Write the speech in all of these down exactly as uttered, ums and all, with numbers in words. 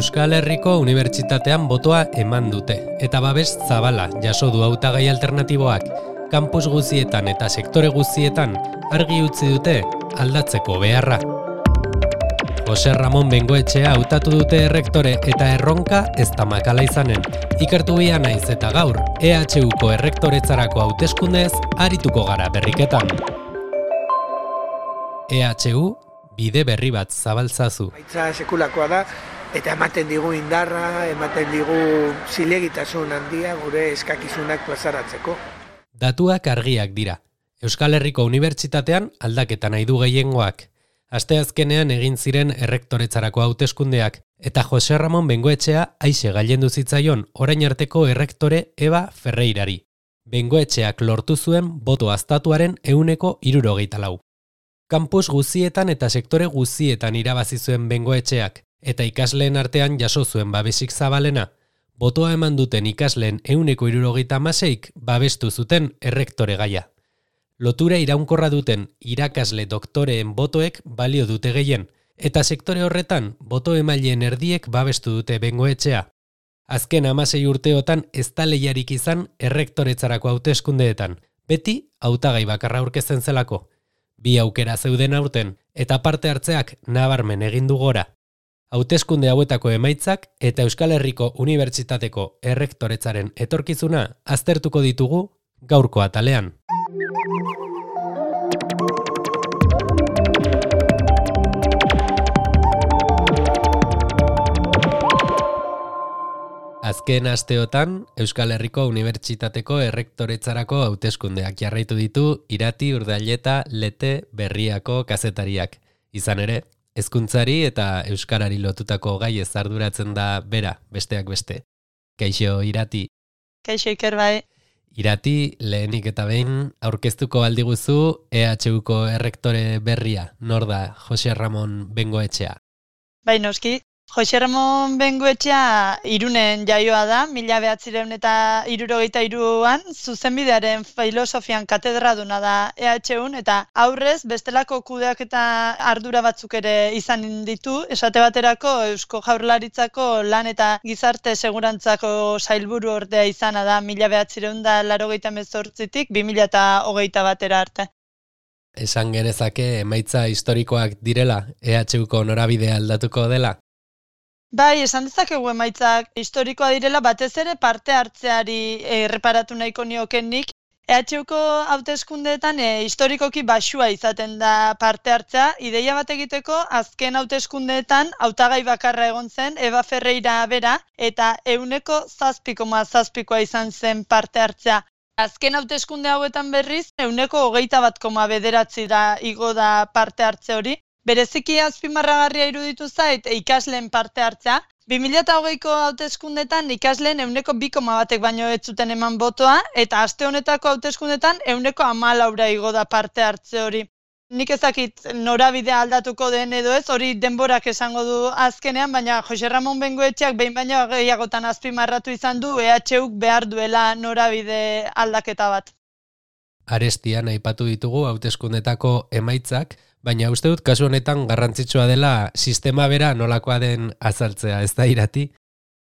Euskal Herriko Unibertsitatean botoa eman dute, eta babes zabala jaso du hautagai alternatiboak, kampus guztietan eta sektore guztietan argi utzi dute aldatzeko beharra. Jose Ramon Bengoetxea hautatu dute errektore eta erronka ez da makala izanen. Ikertu bia naiz eta gaur, E H Uko errektoretzarako hauteskundez arituko gara berriketan. E H U bide berri bat zabaltzazu. Baitza sekulakoa da, eta ematen digu indarra, ematen digu zilegitasun handia gure eskakizunak plazaratzeko. Datuak argiak dira. Euskal Herriko Unibertsitatean aldaketa nahi du gehiengoak. Asteazkenean egin ziren errektoretzarako hauteskundeak, eta Jose Ramon Bengoetxea aixe gailendu zitzaion orain arteko errektore Eba Ferreirari. Bengoetxeak lortu zuen boto aztatuaren ehuneko hirurogeita lau. Kampus guztietan eta sektore guztietan irabazi zuen Bengoetxeak, eta ikasleen artean jaso zuen babesik zabalena. Botoa eman duten ikasleen ehuneko hirurogeita hamaseik babestu zuten errektore gaia. Lotura iraunkorra duten irakasle doktoreen botoek balio dute gehien, eta sektore horretan boto emaileen erdiek babestu dute Bengoetxea. Azken hamasei urteotan ez da lehiarik izan errektoretzarako hauteskundeetan, beti hautagai bakarra aurkezten zelako. Bi aukera zeuden aurten, eta parte hartzeak nabarmen egin du gora. Hauteskunde hauetako emaitzak eta Euskal Herriko Unibertsitateko errektoretzaren etorkizuna aztertuko ditugu gaurko atalean. Azken asteotan, Euskal Herriko Unibertsitateko errektoretzarako hauteskundeak jarraitu ditu Irati, Urdaileta, Lete, Berriako kazetariak. Izan ere, hezkuntzari eta euskarari lotutako gai ez arduratzen da bera, besteak beste. Kaixo, Irati. Kaixo, Iker bai. Irati, lehenik eta behin, aurkeztuko aldiguzu E H Uko errektore berria, nor da Jose Ramon Bengoetxea. Bai, noski. Jose Ramon Bengoetxea Irunen jaioa da, mila behatzireun eta hirurogeita hiruan, zuzenbidearen filosofian katedraduna da E H Un, eta aurrez bestelako kudeak eta ardura batzuk ere izan ditu, esate baterako Eusko Jaurlaritzako lan eta gizarte segurantzako sailburu ordea izana da mila behatzireun da laurogeita hemezortzitik bi mila hogeita batera arte. Esan genezake emaitza historikoak direla, E H Uko norabidea aldatuko dela? Bai, esan dezakegu emaitzak historikoa direla, batez ere parte hartzeari erreparatu nahiko niokenik. E H Uko hauteskundeetan e, historikoki baxua izaten da parte hartzea. Ideia bat egiteko, azken hauteskundeetan hautagai bakarra egon zen, Eba Ferreira bera, eta ehuneko zazpi koma zazpikoa izan zen parte hartzea. Azken hauteskunde hauetan berriz, ehuneko hogeita bat koma bederatzi da igo da parte hartze hori. Bereziki azpimarragarria iruditu zait ikasleen parte hartzea. bi mila hogeiko hauteskundetan ikasleen ehuneko bi koma batek baino ez zuten eman botoa, eta aste honetako hauteskundetan ehuneko hamalaura igo da parte hartze hori. Nik ezakit norabidea aldatuko den edo ez, hori denborak esango du azkenean, baina Jose Ramon Bengoetxeak behin baino gehiagotan azpimarratu izan du E H Uk behar duela norabide aldaketa bat. Arestian aipatu ditugu hauteskundetako emaitzak, baina uste dut kasu honetan garrantzitsua dela sistema bera nolakoa den azaltzea, ez da, Irati?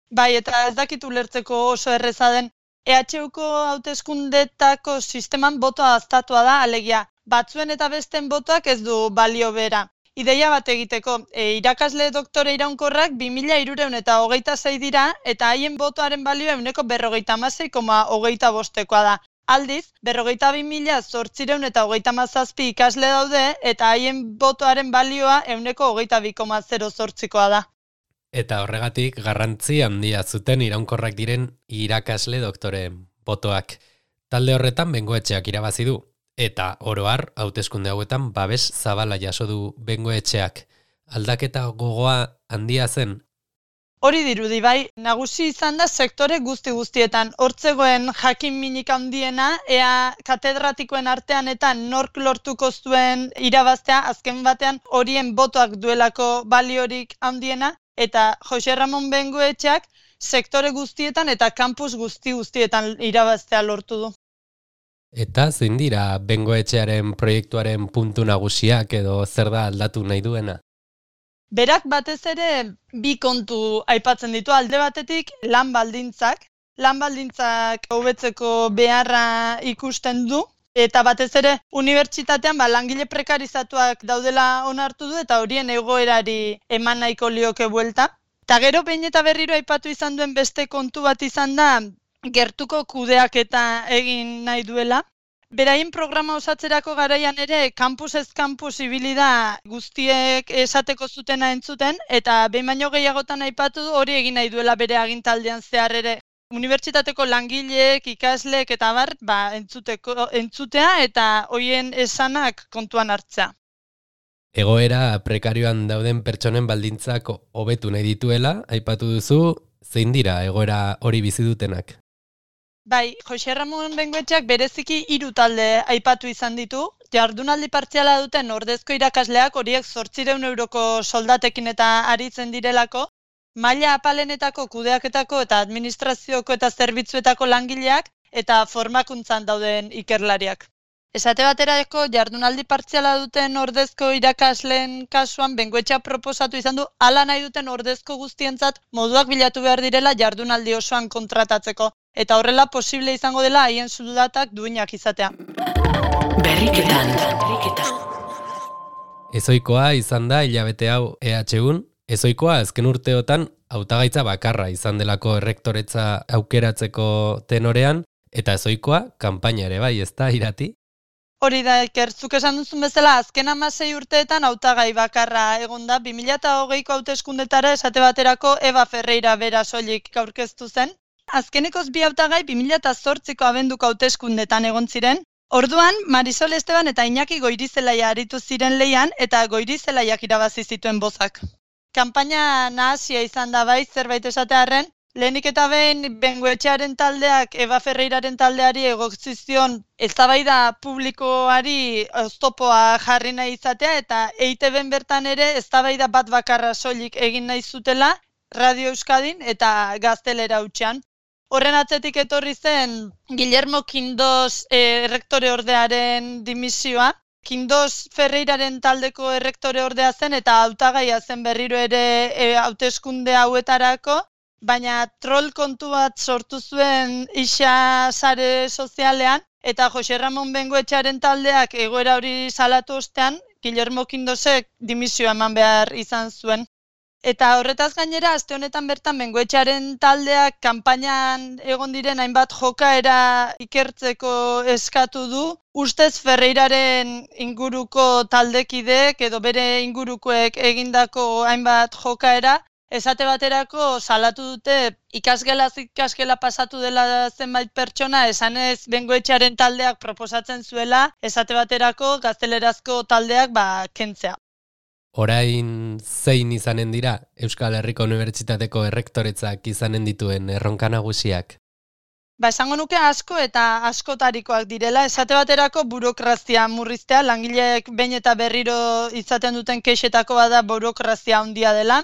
Bai, eta ez dakit ulertzeko oso erreza den. E H Uko hauteskundetako sisteman botoa aztatua da, alegia, batzuen eta besten botoak ez du balio bera. Ideia bat egiteko, e, irakasle doktore iraunkorrak bi mila hirurehun eta hogeita sei dira, eta haien botoaren balioa ehuneko berrogeita hamasei koma hogeita bostekoa da. Aldiz, berrogeita bi mila zortziehun eta hogeita hamazazpi ikasle daude, eta haien botoaren balioa ehuneko hogeita bi koma zero zortzikoa da. Eta horregatik garrantzi handia zuten iraunkorrak diren irakasle doktoreen botoak. Talde horretan Bengoetxeak irabazi du, eta oro har hauteskunde hauetan babes zabala jaso du Bengoetxeak. Aldaketa gogoa handia zen. Hori dirudi bai, nagusi izan da sektore guzti guztietan. Hortzegoen jakin minik handiena, ea katedratikoen artean eta nork lortuko zuen irabaztea, azken batean horien botoak duelako baliorik handiena, eta Jose Ramon Bengoetxeak sektore guztietan eta kampus guzti guztietan irabaztea lortu du. Eta zein dira Bengoetxearen proiektuaren puntu nagusiak edo zer da aldatu nahi duena? Berak batez ere bi kontu aipatzen ditu, alde batetik lan baldintzak, lan baldintzak hobetzeko beharra ikusten du, eta batez ere unibertsitatean ba, langile prekarizatuak daudela onartu du eta horien egoerari eman nahiko lioke buelta. Eta gero behin eta berriro aipatu izan duen beste kontu bat izan da gertuko kudeaketa egin nahi duela. Beraien programa osatzerako garaian ere kampus ez kampus ibili da guztiek esateko zutena entzuten eta behin baino gehiagotan aipatu du hori egin nahi duela bere agintaldian zehar ere. Unibertsitateko langileek, ikasleek eta bar, ba, entzuteko, entzutea eta hoien esanak kontuan hartzea. Egoera prekarioan dauden pertsonen baldintzak hobetu nahi dituela, aipatu duzu, zein dira egoera hori bizi dutenak? Bai, Jose Ramon Bengoetxeak bereziki hiru talde aipatu izan ditu. Jardunaldi partziala duten ordezko irakasleak horiek zortziehun euroko soldatekin eta aritzen direlako, maila apalenetako kudeaketako eta administrazioko eta zerbitzuetako langileak eta formakuntzan dauden ikerlariak. Esate baterako jardunaldi partziala duten ordezko irakasleen kasuan Bengoetxea proposatu izan du hala nahi duten ordezko guztientzat moduak bilatu behar direla jardunaldi osoan kontratatzeko eta horrela posible izango dela haien soldatak duinak izatea. Berriketan. Ezoikoa izan da hilabete hau E H Un, ezoikoa azken urteotan hautagaitza bakarra izan delako errektoretza aukeratzeko tenorean, eta ezoikoa kanpaina ere bai, ez da, Irati? Hori da, Iker, zuk esan duzun bezala, azken hamasei urteetan hautagai bakarra egon da, bi mila hogeiko hauteskundetara esate baterako Eva Ferreira bera soilik aurkeztu zen. Azkenekoz bi hautagai bi mila zortziko abenduko hauteskundetan egon ziren. Orduan, Marisol Esteban eta Iñaki Goirizelaia aritu ziren leian eta Goirizelaiak irabazi zituen bozak. Kanpaina nahasia izan da bai, zerbait esatearren, lehenik eta behin Bengoetxearen taldeak Eva Ferreiraren taldeari egotzi zion eztabaida publikoari oztopoa jarri nahi izatea eta E I T Bn bertan ere eztabaida bat bakarra soilik egin nahi zutela Radio Euskadin eta Gaztelera hutsean. Horren atzetik etorri zen Guillermo Quindos eh, errektore ordearen dimisioa. Quindos Ferreiraren taldeko errektore ordea zen eta hautagaia zen berriro ere e, hauteskunde hauetarako, baina troll kontu bat sortu zuen isa sare sozialean eta Jose Ramon Bengoetxearen taldeak egoera hori salatu ostean, Guillermo Quindosek dimisioa eman behar izan zuen. Eta horretaz gainera, aste honetan bertan Bengoetxearen taldeak kanpainan egon diren hainbat jokaera ikertzeko eskatu du, ustez Ferreiraren inguruko taldekideek edo bere ingurukoek egindako hainbat jokaera, esate baterako salatu dute ikasgelaz ikaskela pasatu dela zenbait pertsona, esanez Bengoetxearen taldeak proposatzen zuela, esate baterako gaztelerazko taldeak ba kentzea. Orain zein izanen dira Euskal Herriko Unibertsitateko errektoretzak izanen dituen erronka nagusiak? Ba, esango nuke asko eta askotarikoak direla, esate baterako burokrazia murriztea, langileek behin eta berriro izaten duten kexetako bada burokrazia handia dela.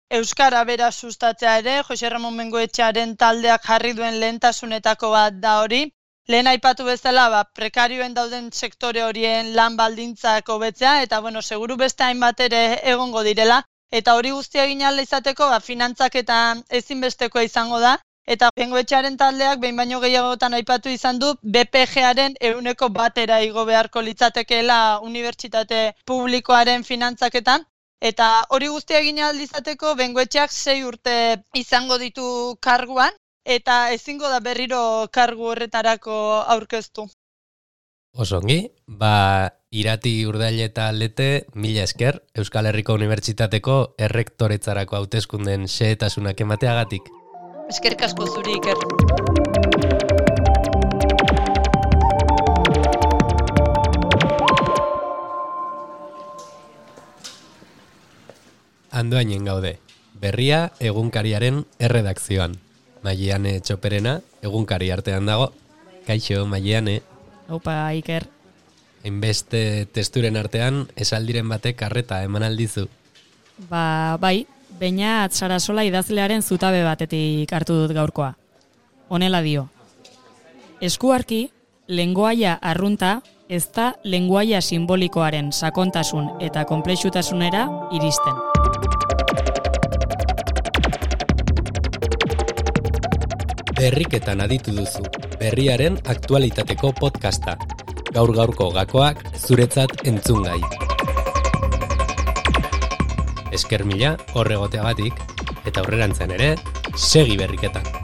Euskara bera sustatzea ere, Jose Ramon Bengoetxearen taldeak jarri duen lehentasunetako bat da hori. Lehen aipatu bezala, ba, prekarioen dauden sektore horien lan baldintzak hobetzea, eta bueno, seguru beste hainbat ere egongo direla, eta hori guztia egin ahal izateko, ba, finantzak eta ezinbestekoa izango da, eta Bengoetxearen taldeak behin baino gehiagotan aipatu izan du, B P G-aren ehuneko batera igo beharko litzatekeela unibertsitate publikoaren finantzaketan, eta hori guztia egin ahal izateko Bengoetxeak sei urte izango ditu karguan, eta ezingo da berriro kargu horretarako aurkeztu. Osongi, ba, Irati Urdaile eta Lete, mila esker, Euskal Herriko Unibertsitateko errektoretzarako hauteskunden xehetasunak emateagatik. Eskerrik asko zuri, Iker. Andoainen gaude, berria egunkariaren erredakzioan. Maiane Txoperena, egunkari artean dago. Kaixo, Maiane. Aupa, Iker. Hainbeste testuren artean, esaldiren batek arreta eman aldizu. Ba, bai, Beñat Sarasola idazlearen zutabe batetik hartu dut gaurkoa. Honela dio. Eskuarki, lengoaia arrunta ez da lengoaia simbolikoaren sakontasun eta konplexutasunera iristen. Berriketan aditu duzu, berriaren aktualitateko podcasta. Gaur gaurko gakoak zuretzat entzungai. Esker mila horregoteagatik, eta aurrerantzean ere, segi berriketan.